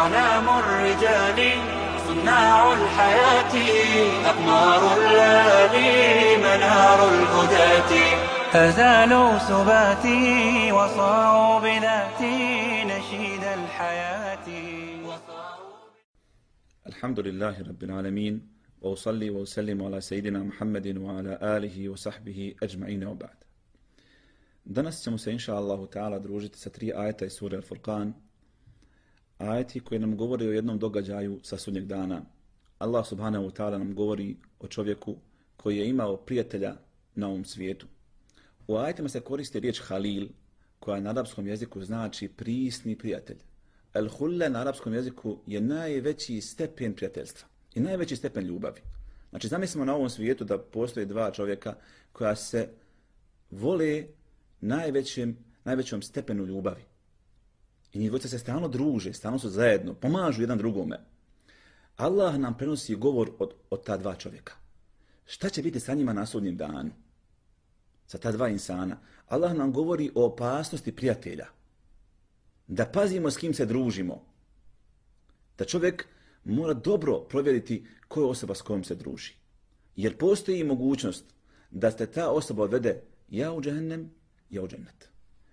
أعلام الرجال صناع الحياة أقمار الليالي منار الهداة فزالوا سباتي وصاروا بذاتي نشيد الحياة. الحمد لله رب العالمين وأصلي وأسلم على سيدنا محمد وعلى آله وصحبه أجمعين وبعد. Danas ćemo se inša Allahu ta'ala družiti sa 3 ajeta iz sure Al-Furqan. Ajeti koji nam govori o jednom događaju sa sudnjeg dana. Allah subhanahu wa ta'ala nam govori o čovjeku koji je imao prijatelja na ovom svijetu. U ajetima se koristi riječ halil, koja na arapskom jeziku znači prisni prijatelj. El-hulle na arapskom jeziku je najveći stepen prijateljstva i najveći stepen ljubavi. Znači zamislimo na ovom svijetu da postoje 2 čovjeka koja se vole najvećom stepenu ljubavi. I njih dvojica se stalno druže, stalno su zajedno, pomažu jedan drugome. Allah nam prenosi govor od ta 2 čovjeka. Šta će biti sa njima na sudnjem danu? Sa ta 2 insana. Allah nam govori o opasnosti prijatelja. Da pazimo s kim se družimo. Da čovjek mora dobro provjeriti koja je osoba s kojom se druži. Jer postoji mogućnost da ste ta osoba odvede ja u džehennem, ja u džennet.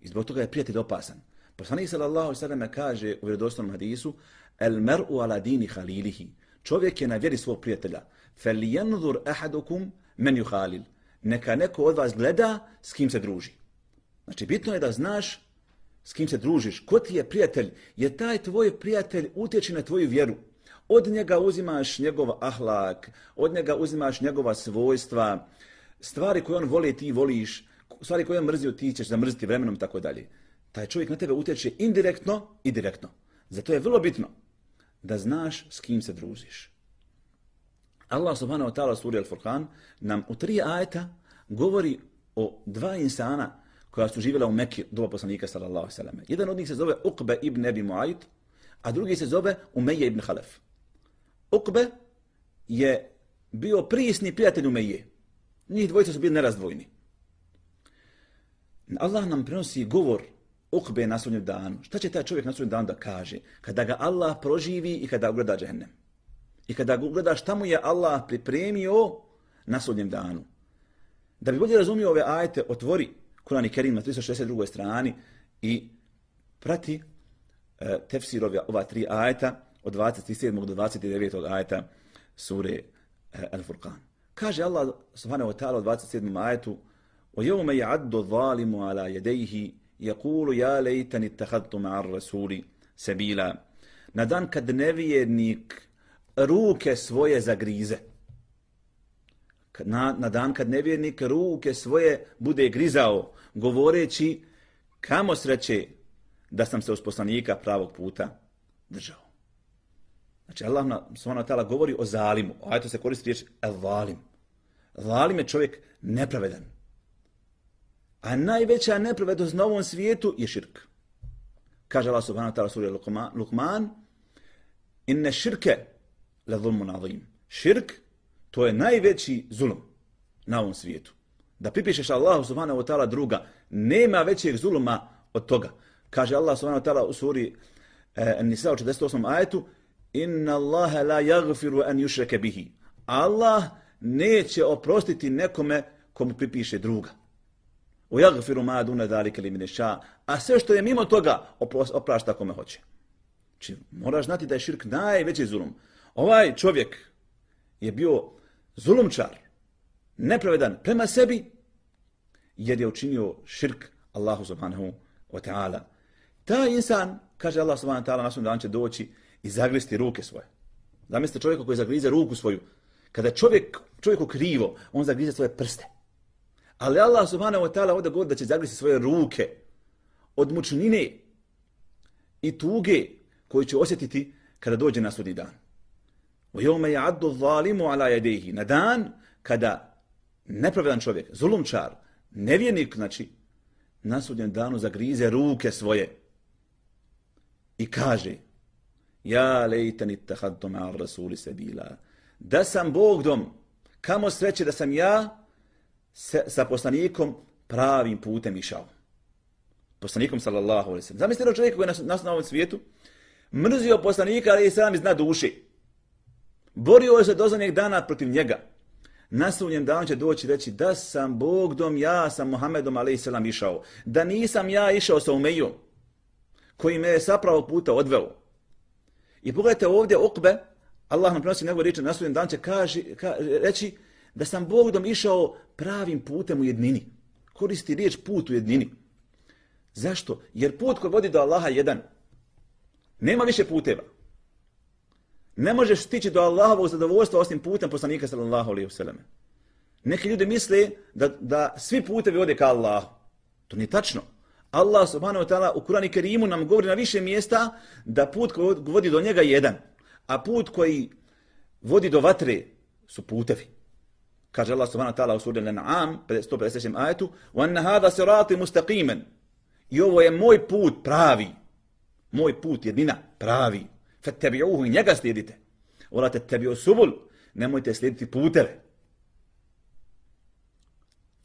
I zbog toga je prijatelj opasan. Poslanik sallallahu alejhi ve sellem kaže u vjerodostojnom hadisu: "El mer'u ala dini halilihi." Čovjek je na vjeri svog prijatelja. "Falyanzur ahadukum man yukhalil." Neka neko od vas gleda s kim se druži. Znači bitno je da znaš s kim se družiš, ko ti je prijatelj, jer taj tvoj prijatelj utječe na tvoju vjeru. Od njega uzimaš njegov ahlak, od njega uzimaš njegova svojstva, stvari koje on voli ti voliš, stvari koje on mrzio ti ćeš zamrziti vremenom i tako dalje. Taj čovjek na tebe utječe indirektno i direktno. Zato je vrlo bitno da znaš s kim se družiš. Allah subhanahu wa ta'ala u suri Al-Furqan nam u 3 ajeta govori o 2 insana koja su živjela u Mekki doba poslanika sallallahu alejhi ve sellem. Jedan od njih se zove Uqbe ibn Abi Mu'ayt, a drugi se zove Umeje ibn Halef. Uqbe je bio prisni prijatelj Umeje. Njih dvojica su bili nerazdvojni. Allah nam prenosi govor Uqbe na sudnjem danu. Šta će taj čovjek na sudnjem danu da kaže kada ga Allah proživi i kada ugleda džehennem? I kada ga ugleda šta mu je Allah pripremio na sudnjem danu? Da bi bolje razumio ove ajete, otvori Kur'an i Kerim na 362. strani i prati tefsir ova 3 ajeta od 27. do 29. ajeta sure Al-Furqan. Kaže Allah subhanahu wa ta'ala u 27. ajetu: وَيَوْمَ يَعَدُّ الظَّالِمُ عَلَى يَدَيْهِ يَقُولُ يَا لَيْتَنِ اتَّخَذْتُ مَعَ الرَّسُولِ سَبِيلًا. Na dan kad nevjernik ruke svoje zagrize. Na dan kad nevjernik ruke svoje bude grizao, govoreći kamo sreće da sam se uz poslanika pravog puta držao. Znači Allah subhanahu wa ta'ala govori o zalimu. A to se koristi riječ el-zalim. Zalim je čovjek nepravedan. A najveća nepravednost na ovom svijetu je širk. Kaže Allah subhanahu wa ta'ala suri Luqman: "Inne širke la zulmun azim." Širk, to je najveći zulum na ovom svijetu. Da pripišeš Allahu subhanahu wa ta'ala druga, nema većeg zuluma od toga. Kaže Allah subhanahu wa ta'ala u suri An-Nisa u 48. ajetu: "Inna Allaha la yaghfiru an yushraka bihi." Allah neće oprostiti nekome komu pripiše druga. وَيَغْفِرُ مَا دُونَ ذَلِكَ لِمَنْ يَشَاءُ. A sve što je mimo toga oprašta kome hoće. Znači, moraš znati da je širk najveći zulum. Ovaj čovjek je bio zulumčar, nepravedan prema sebi, jer je učinio širk Allahu subhanahu wa ta'ala. Taj insan, kaže Allah subhanahu wa ta'ala, na svom danu će doći i zagristi ruke svoje. Zamislite čovjeka koji zagrize ruku svoju. Kada je čovjeku krivo, on zagrize svoje prste. Ali Allah subhanahu wa ta'ala ovdje govori da će zagristi svoje ruke od mučnine i tuge koju će osjetiti kada dođe na sudnji dan. وَيَوْمَ يَعَدُّ الظَّالِمُ عَلَى يَدَيْهِ. Na dan kada nepravedan čovjek, zulumčar, nevjernik, znači, na sudnjem danu zagrize ruke svoje i kaže: "Ja lejtani ittakhadtu ma'a ar-rasuli sabila." Da sam Bog dom, kamo sreće da sam ja sa poslanikom pravim putem išao. Poslanikom sallallahu alejhi ve sellem. Zamislite čovjeka koji je na ovom svijetu, Mrzio poslanika, ali i sam iz dna duše. Borio se do zadnjeg dana protiv njega. Na sudnjem danu će doći reći da sam Bogdom, ja sam Muhammedom a.s. išao. Da nisam ja išao sa Umejom, koji me je sa pravog puta odveo. I pogledajte ovdje Ukbe, Allah nam prenosi njegove riječi, na sudnjem danu će reći da sam Bogdom išao pravim putem u jednini. Koristi riječ put u jednini. Zašto? Jer put koji vodi do Allaha je jedan. Nema više puteva. Ne možeš stići do Allahovog zadovoljstva osim putem poslanika sallallahu alejhi ve selleme. Neki ljudi misle da svi putevi vode ka Allahu. To nije tačno. Allah subhanahu wa ta'ala u Kur'anu i Kerimu nam govori na više mjesta da put koji vodi do njega je jedan, a put koji vodi do vatre su putevi. Kaže Allah subhanahu wa ta'ala u suri Al-An'am 153. ajetu: "Wa anna hadha sirati mustaqiman." I ovo je moj put pravi. Moj put jedina pravi. Fattabi'uhu, i njega slijedite. Wala tattabi'u subul, nemojte slijediti puteve.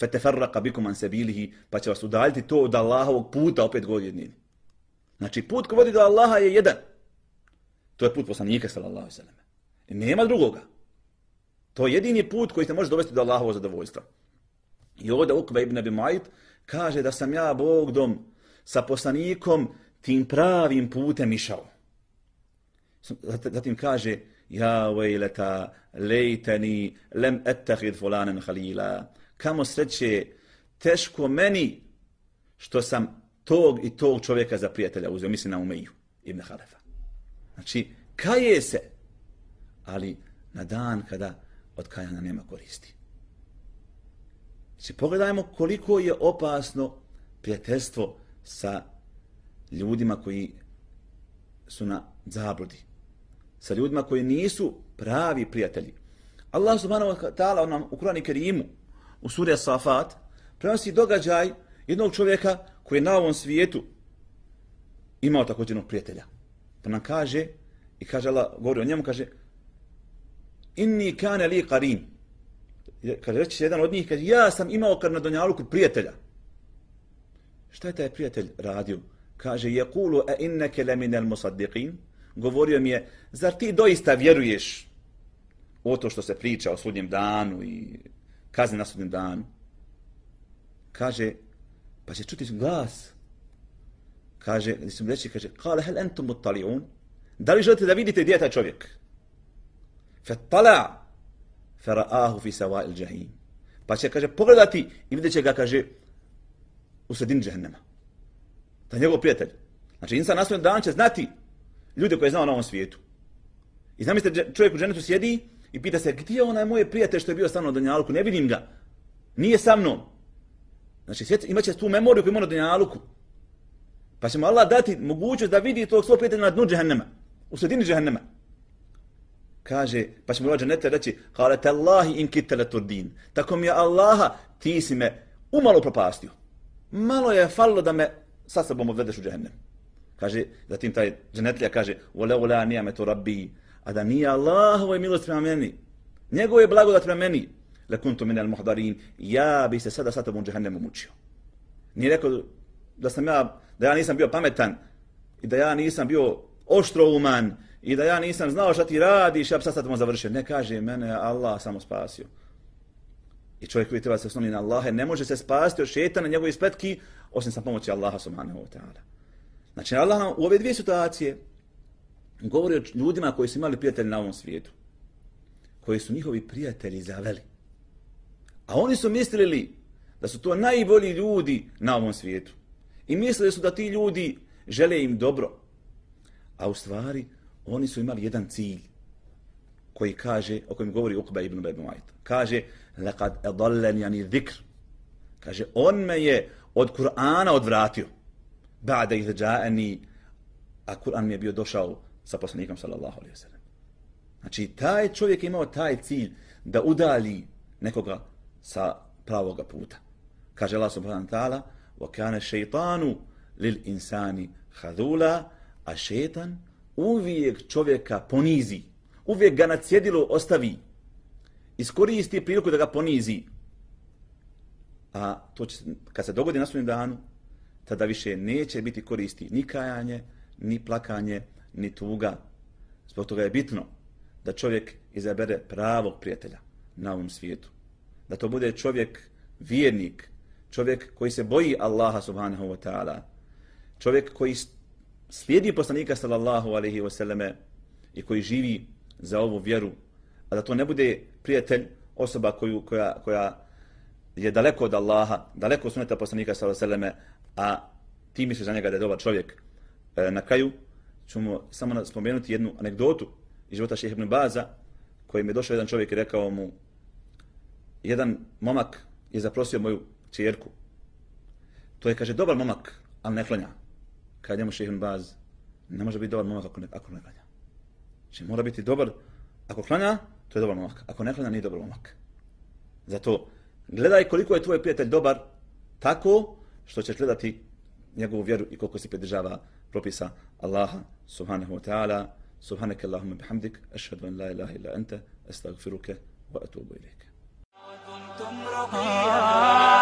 Fatafarraqa bikum an sabilihi, pa će vas udaljiti to od Allahovog puta, opet govori jednini. Znači put koji vodi do Allaha je jedan. To je put poslanika sallallahu alejhi ve selleme. I nema drugoga. To je jedini put koji te može dovesti do Allahovog zadovoljstva. I ovdje Ukbe ibn Abi Mu'ayt kaže da sam ja Bogdom sa poslanikom tim pravim putem išao. Zatim kaže: Ja vejleta lejteni lem ettahid fulanen halila. Kamo sreće, teško meni što sam tog i tog čovjeka za prijatelja uzeo. Mislim na Umeju ibn Halefa. Znači, kaje se, ali na dan kada od kajanja nema koristi. Znači, pogledajmo koliko je opasno prijateljstvo sa ljudima koji su na zabludi. Sa ljudima koji nisu pravi prijatelji. Allah subhanahu wa ta'ala nam u Kur'anu i Kerimu, u suri As-Safat, prenosi događaj jednog čovjeka koji je na ovom svijetu imao također jednog prijatelja. Pa nam kaže, i kaže Allah, govori o njemu, kaže: Inni kane li qarin. Kaže, reći jedan od njih, kaže: ja sam imao kad na dunjaluku prijatelja. Šta je taj prijatelj radio? Kaže: Yaqulu a innaka la minal musaddiqin. Govorio mi je: zar ti doista vjeruješ o to što se priča o sudnjem danu i kazni na sudnjem danu? Kaže, pa će čuti glas. Kaže, gdje su mi reći, kaže: Kale, hel entum muttali'un? Da li želite da vidite gdje je taj čovjek? Fattala, fara'ahu fi sawa'il jahim. Pa će, kaže, pogledati i vidjet će ga, kaže, u sredini džehennema. To je njegov prijatelj. Znači, insan na sudnjem danu će znati ljude koje je znao na ovom svijetu. I zamislite, čovjek u džennetu sjedi i pita se: gdje je onaj moj prijatelj što je bio sa mnom na dunjaluku? Ne vidim ga. Nije sa mnom. Znači, imat će tu memoriju koju ima na dunjaluku. Pa će mu Allah dati mogućnost da vidi tog svog prijatelja na dnu džehennema, u sredini džehennema. Kaže, pa će mu džennete reći: Kale tallahi in kitta laturdin. Tako mi je Allaha, ti si me umalo propastio. Malo je falilo da me sa sobom odvedeš u džehennem. Kaže, zatim taj džennetlija kaže: Walaula ni'matu rabbi, a da nije Allahova milost prema meni, njegove je blagodat prema meni, lakuntu minal muhdarin, ja bi se sada sa tobom u džehennemu mučio. Nije rekao da ja nisam bio pametan i da ja nisam bio oštrouman i da ja nisam znao šta ti radiš, ja bi sad tobom završio. Ne, kaže, mene Allah samo spasio. I čovjek koji treba se osloniti na Allahe ne može se spasiti od šejtana, njegove spletki, osim sa pomoći Allaha subhanahu wa ta'ala. Znači, Allah nam u ove dvije situacije govori o ljudima koji su imali prijatelji na ovom svijetu, koji su njihovi prijatelji zaveli. A oni su mislili da su to najbolji ljudi na ovom svijetu. I mislili su da ti ljudi žele im dobro. A u stvari, oni su imali jedan cilj koji kaže, o kojem govori Ukbe ibn Abi Mu'ayt. Kaže: laqad adallani ani dhikr. Kaže, on me je od Kur'ana odvratio. Ba'da idh ja'ani, a Kur'an mi je bio došao sa poslanikom sallallahu alejhi ve sellem. Znači, taj čovjek je imao taj cilj da udalji nekoga sa pravoga puta. Kaže Allah subhanahu wa ta'ala: wa kana shaytanu lil insani khadula, a šejtan uvijek čovjeka ponizi, uvijek ga na cjedilu ostavi, iskoristi priliku da ga ponizi. A to će, kad se dogodi na sudnjem danu, tada više neće biti koristi ni kajanje, ni plakanje, ni tuga. Zbog toga je bitno da čovjek izabere pravog prijatelja na ovom svijetu. Da to bude čovjek vjernik, čovjek koji se boji Allaha subhanahu wa ta'ala, čovjek koji slijedi poslanika sallallahu alaihi wa sallame i koji živi za ovu vjeru, a da to ne bude prijatelj, osoba koja je daleko od Allaha, daleko od sunneta poslanika sallallahu alaihi wa sallame, a ti misliš za njega da je dobar čovjek. Na kraju ćemo samo spomenuti jednu anegdotu iz života Šejha ibn Baza, kojim je došao jedan čovjek i rekao mu, jedan momak je zaprosio moju kćerku. To je, kaže, dobar momak, ali ne klanja. Kaže njemu Šejh ibn Baz, ne može biti dobar momak ako ne klanja. Znači mora biti dobar, ako klanja, to je dobar momak. Ako ne klanja, nije dobar momak. Zato gledaj koliko je tvoj prijatelj dobar, tako što ćeš gledati njegovu vjeru i koliko se pridržava propisa Allaha subhanahu wa ta'ala. Subhanaka Allahumma bihamdik, ashhadu an la ilaha illa anta, astaghfiruka wa atubu ilayk.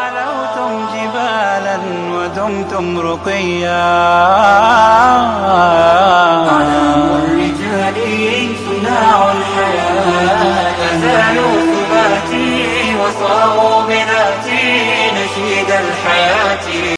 علوتم جبالا ودمتم رقيا أعلام الرجال صناع الحياة أزالوا ثباتي وصاروا بذاتي نشيد الحياة